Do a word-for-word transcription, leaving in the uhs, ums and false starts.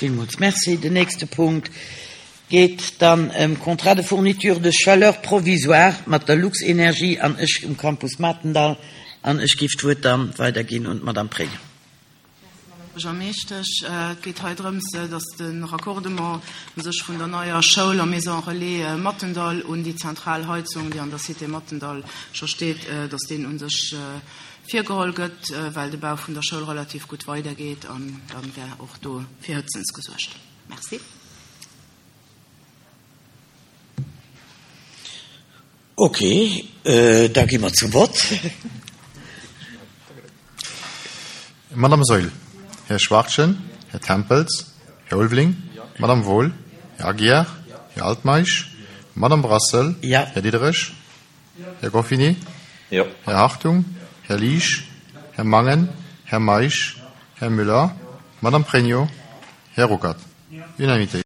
Villmools Merci. Den nächste Punkt geet dann ëm Contrat de fourniture de chaleur provisoire mat der Luxenergie an Esch um Campus Matendall. An ech géif d'Wuert dann weiderginn un d'Madame Pregno. Buergermeeschtesch, et geet hei drëms, dass de Raccordement u sech vun der neier Schoul a Maison Relais Matendall un déi zentral Heizung, déi an der Cité Matendall scho steet, dass deen u sech virgeholl gëtt, well de Bau vun der Schoul relativ gutt weidergeet an dann wär och do fir Hëtzens gesuergt. Merci. Ok, da gi mer zum Vott. Madame Saeul, Här Schwachtgen, Här Tempels, Här Ulveling, Madame Wohl, Här Aguiar, Här Altmeisch, Madame Brassel, Här Diderich, Här Goffinet, Här Hartung, Här Liesch, Här Mangen, Här Meisch, Här Muller, Madame Pregno, Här Ruckert. Unanimité.